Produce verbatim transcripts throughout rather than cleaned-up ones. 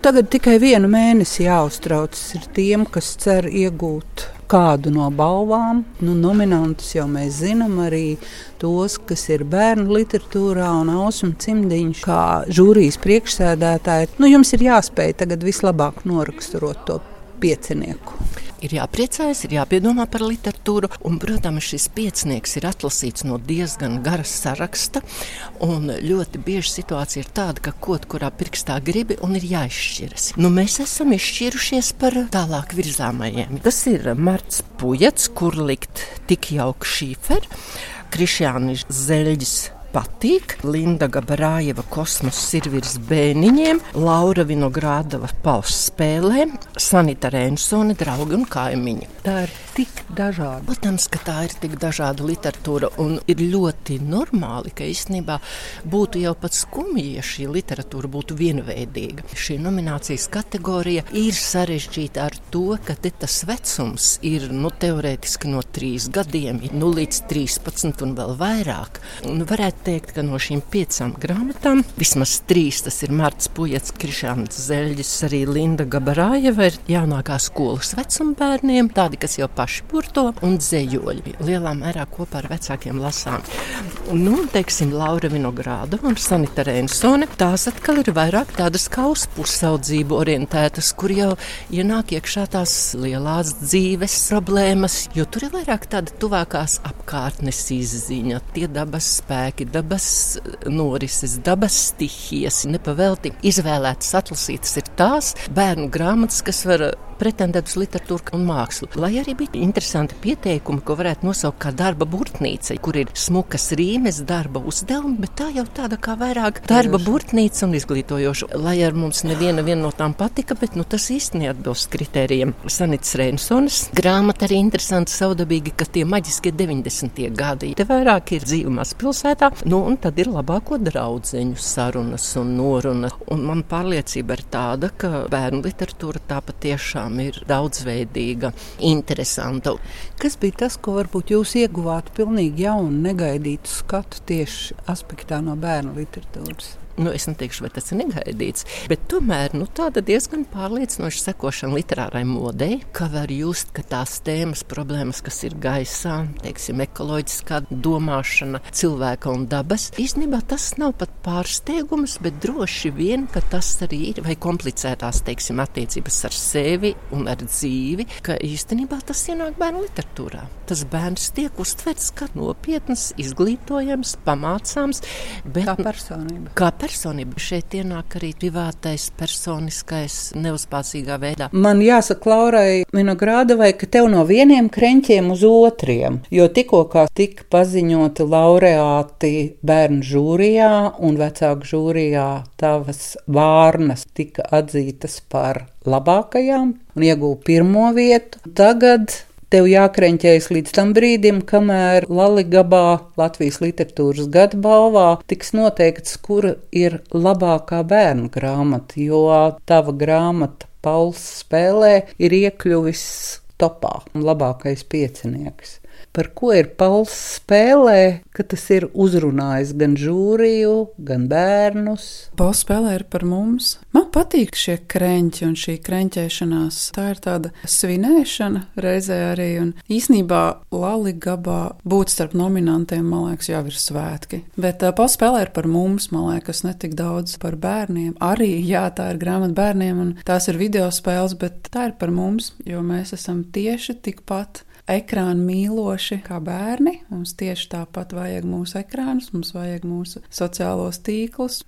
Tagad tikai vienu mēnesi jāuztraucas ir tiem, kas cer iegūt kādu no balvām. Nu, nominantus jau mēs zinām, arī tos, kas ir bērnu literatūrā, un Ausma Cimdiņš kā žūrijas priekšsēdētāja. Nu, jums ir jāspēj tagad vislabāk noraksturot to piecinieku. Ir jāpriecājas, ir jāpiedomā par literatūru, un, protams, šis piecinieks ir atlasīts no diezgan gara saraksta, un ļoti bieži situācija ir tāda, ka kaut kurā pirkstā gribi un ir jāizšķiras. Nu, mēs esam izšķirušies par tālāk virzāmajiem. Tas ir Marts Pujats, kur likt Tik jauka Šīfer, Krišjānis Zeļģis Patīk, Linda Gabarājeva Kosmos ir virs bēniņiem, Laura Vinogrādova Pauss spēlēm, Sanita Rēnsone Draugi un kaimiņi. Tā ir tik dažāda. Protams, ka tā ir tik dažāda literatūra, un ir ļoti normāli, ka īstenībā būtu jau pat skumji, ja šī literatūra būtu vienveidīga. Šī nominācijas kategorija ir sarežģīta ar to, ka te tas vecums ir nu, teorētiski no trīs gadiem, nu, līdz trīspadsmit un vēl vairāk. Un varētu teikt, ka no šīm piecām grāmatām vismaz trīs, tas ir Marts Pujats, Krišjānis Zeļģis, arī Linda Gabarājeva ir jaunākā skolas vecuma bērniem, tādi, kas jau paši burto, un dzejoļi. Lielā mērā kopā ar vecākiem lasām. Nu, teiksim, Laura Vinogrādova un Sanita Rēnsone, tās atkal ir vairāk tādas kā uz pusaudzību orientētas, kur jau ienāk iekšā tās lielās dzīves problēmas, jo tur ir vairāk tāda tuvākās apkārtnes izziņa, tie dabas spēki, dabas norises, dabas stihijas. Nepavelti izvēlētas atlasītas ir tās bērnu grāmatas, kas var pretendēt uz literatūru un mākslu. Lai arī bija interesanti pieteikumi, ko varētu nosaukt kā darba burtnīca, kur ir smukas rīmes, darba uzdevumi, bet tā jau tāda kā vairāk darba burtnīca un izglītojoša. Lai ar mums neviena viena no tām patika, bet nu, tas īsti neatbilst kritērijiem. Sanitas Rēnsones grāmata arī interesanti savdabīgi, ka tie maģiskie deviņdesmitie gadi. Te vairāk ir dzīve mazpilsētā, nu un tad ir labāko draudzeņu sarunas un noruna. Un man pārliecība ir tāda, ka bērnu literatūra tā patiešām ir daudzveidīga, interesanta. Kas bija tas, ko varbūt jūs ieguvāt pilnīgi jaunu, negaidītu skatu tieši aspektā no bērnu literatūras? Nu, es neteikšu, vai tas ir negaidīts, bet tomēr nu, tāda diezgan pārliecinoša sekošana literārai modei, ka var just, ka tās tēmas, problēmas, kas ir gaisā, teiksim, ekoloģiskā domāšana, cilvēka un dabas, īstenībā tas nav pat pārsteigums, bet droši vien, ka tas arī ir, vai komplicētās, teiksim, attiecības ar sevi un ar dzīvi, ka īstenībā tas ienāk bērnu literatūrā. Tas bērns tiek uztverts kā nopietnas, izglītojams, pamācāms, bet kā personība. Kā personība. Šeit ienāk arī privātais, personiskais, neuzpācīgā veidā. Man jāsaka Laurai Vinogrādovai, ka tev no vieniem kreņķiem uz otriem, jo tikko kā tika paziņoti laureāti bērnu žūrijā un vecāku žūrijā, tavas vārnas tika atzītas par labākajām un ieguva pirmo vietu. Tagad tev jākreņķējas līdz tam brīdim, kamēr Laligabā, Latvijas literatūras gada balvā, tiks noteikts, kura ir labākā bērnu grāmata, jo tava grāmata Pauss spēlē ir iekļuvis topā, labākais piecinieks. Par ko ir Pauss spēlē, ka tas ir uzrunājis gan žūriju, gan bērnus? Pauss spēlē ir par mums. Man patīk šie kreņķi un šī kreņķēšanās. Tā ir tāda svinēšana reizē arī. Un īsnībā Laligabā būt starp nominantiem, man liekas, jau ir svētki. Bet uh, Pauss spēlē ir par mums, man liekas, ne tik daudz par bērniem. Arī, jā, tā ir grāmata bērniem un tās ir video spēles, bet tā ir par mums, jo mēs esam tieši tikpat ekrānu mīloši kā bērni. Mums tieši tāpat vajag mūsu ekrānus, mums vajag mūsu sociālos tīklus.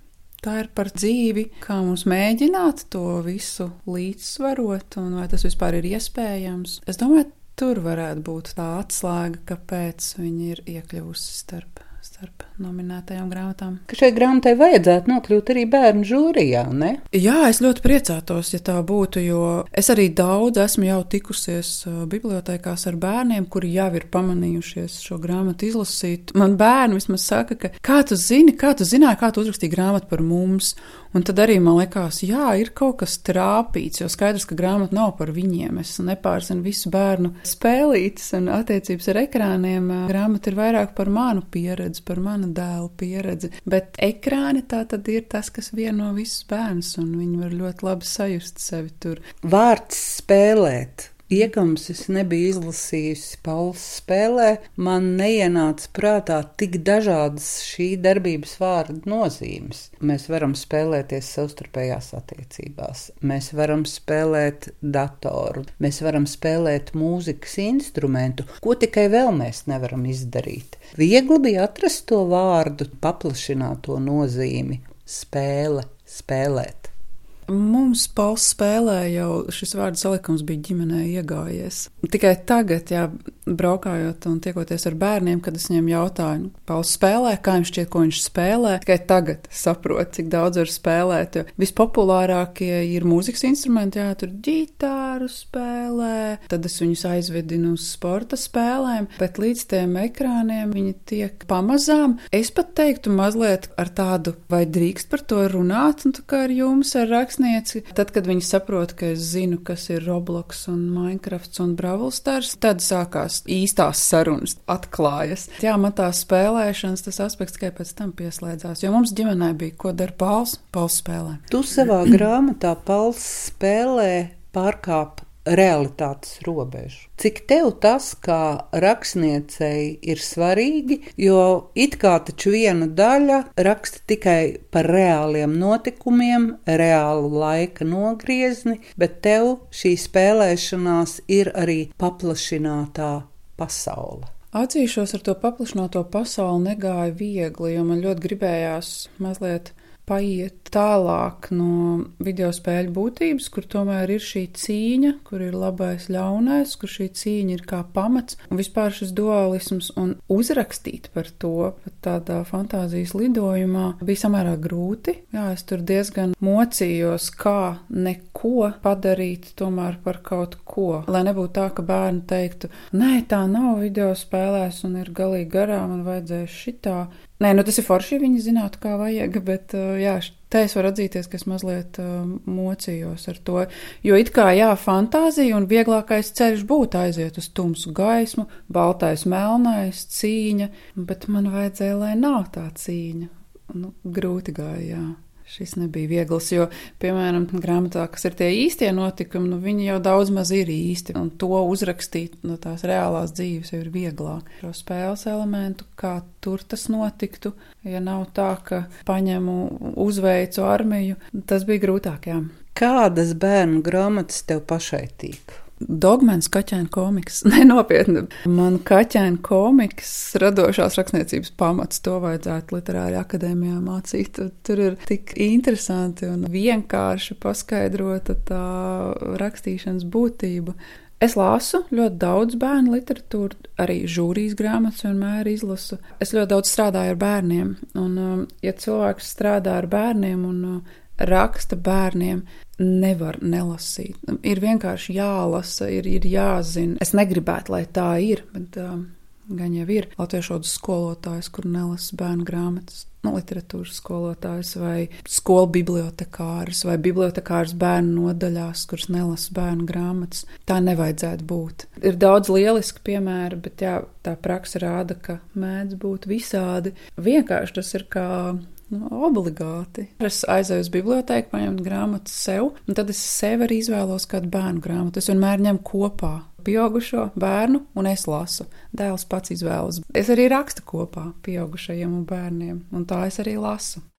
Tā ir par dzīvi, kā mums mēģināt to visu līdzsvarot un vai tas vispār ir iespējams. Es domāju, tur varētu būt tā atslēga, kāpēc viņi ir iekļuvusi starp, starp nominētajām grāmatām. Ka šai grāmatai vajadzētu nokļūt arī bērnu žūrijā, ne? Jā, es ļoti priecātos, ja tā būtu, jo es arī daudz esmu jau tikusies bibliotēkās ar bērniem, kuri jau ir pamanījušies šo grāmatu izlasīt. Man bērni vismaz saka, ka kā tu zini, kā tu zināji, kā tu uzrakstīji grāmatu par mums? Un tad arī man likās, jā, ir kaut kas trāpīts, jo skaidrs, ka grāmata nav par viņiem. Es nepārzinu visu bērnu spēlītes un attiecības ar ekrāniem. Grāmata ir vairāk par manu pieredzi, par manu mana dēla pieredze. Bet ekrāni tā tad ir tas, kas vieno visus bērnus, un viņi var ļoti labi sajust sevi tur. Vārds spēlēt. Iekams es nebiju izlasījusi Pauls spēlē, man neienāca prātā tik dažādas šī darbības vārda nozīmes. Mēs varam spēlēties savstarpējās attiecībās, mēs varam spēlēt datoru, mēs varam spēlēt mūzikas instrumentu, ko tikai vēl mēs nevaram izdarīt. Viegli bija atrast to vārdu, paplašināto nozīmi – spēle, spēlēt. Mums Pauls spēlē jau šis vārdu salikums bija ģimenē iegājies. Tikai tagad, jā, braukājot un tiekoties ar bērniem, kad es viņiem jautāju, Pauls spēlē, kā jums šķiet, ko viņš spēlē, tikai tagad saprotu, cik daudz var spēlēt, jo vispopulārākie ir mūzikas instrumenti, jā, tur ģitāru spēlē, tad es viņus aizvedinu uz sporta spēlēm, bet līdz tiem ekrāniem viņi tiek pamazām. Es pat teiktu mazliet ar tādu, vai drīkst par to runāt, un tā kā ar jums, ar rakstnieci. Tad, kad viņi saprot, ka es zinu, kas ir Roblox un Minecrafts un Brawl Stars, tad sākās īstās sarunas, atklājas. Jā, man tā spēlēšanas tas aspekts tikai pēc tam pieslēdzās, jo mums ģimenē bija, ko dara Pauls, Pauls spēlē. Tu savā grāmatā Pauls spēlē pārkāp realitātes robežu. Cik tev tas, kā rakstniecei, ir svarīgi, jo it kā taču viena daļa raksta tikai par reāliem notikumiem, reālu laika nogriezni, bet tev šī spēlēšanās ir arī paplašinātā pasaule. Atzīšos, ar to paplašināto pasauli negāja viegli, jo man ļoti gribējās mazliet paiet tālāk no video spēļu būtības, kur tomēr ir šī cīņa, kur ir labais ļaunais, kur šī cīņa ir kā pamats un vispār šis dualisms, un uzrakstīt par to pat tādā fantāzijas lidojumā bija samērā grūti. Jā, es tur diezgan mocījos, kā neko padarīt tomēr par kaut ko, lai nebūtu tā, ka bērni teiktu, nē, tā nav video spēlēs un ir galīgi garām un vajadzēs šitā. Nē, nu tas ir forši, ja viņi zinātu, kā vajag, bet jā, te es varu atzīties, ka es mazliet uh, mocījos ar to, jo it kā jā, fantāzija un vieglākais ceļš būtu aiziet uz tumsu gaismu, baltais, melnais, cīņa, bet man vajadzēja, lai nav tā cīņa. Nu, grūti gāja, jā. Šis nebija viegls, jo, piemēram, grāmatā, kas ir tie īstie notikumi, nu viņi jau daudz maz ir īsti, un to uzrakstīt no tās reālās dzīves jau ir vieglāk. Šo spēles elementu, kā tur tas notiktu, ja nav tā, ka paņemu, uzveicu armiju, tas bija grūtāk, jā. Kādas bērnu grāmatas tev pašai tīk? Dogmens kaķēna komiks. Nē, nopietni. Man kaķēna komiks radošās rakstniecības pamats, to vajadzētu literāri akadēmijā mācīt. Tur ir tik interesanti un vienkārši paskaidrota tā rakstīšanas būtība. Es lasu ļoti daudz bērnu literatūru, arī žūrijas grāmatas vienmēr izlasu. Es ļoti daudz strādāju ar bērniem, un ja cilvēks strādā ar bērniem un raksta bērniem, nevar nelasīt. Ir vienkārši jālasa, ir, ir jāzina. Es negribētu, lai tā ir, bet um, gan jau ir latviešu valodas skolotājs, kur nelasa bērnu grāmatas, nu, literatūras skolotājs vai skolu bibliotekāris vai bibliotekāris bērnu nodaļās, kuras nelasa bērnu grāmatas. Tā nevajadzētu būt. Ir daudz lieliski piemēri, bet jā, tā praksa rāda, ka mēdz būt visādi. Vienkārši tas ir kā nu, obligāti. Es aizēju uz bibliotēku, paņemt grāmatas sev, un tad es sev arī izvēlos kādu bērnu grāmatu. Es vienmēr ņemu kopā pieaugušo bērnu, un es lasu. Dēls pats izvēlas. Es arī rakstu kopā pieaugušajiem un bērniem, un tā es arī lasu.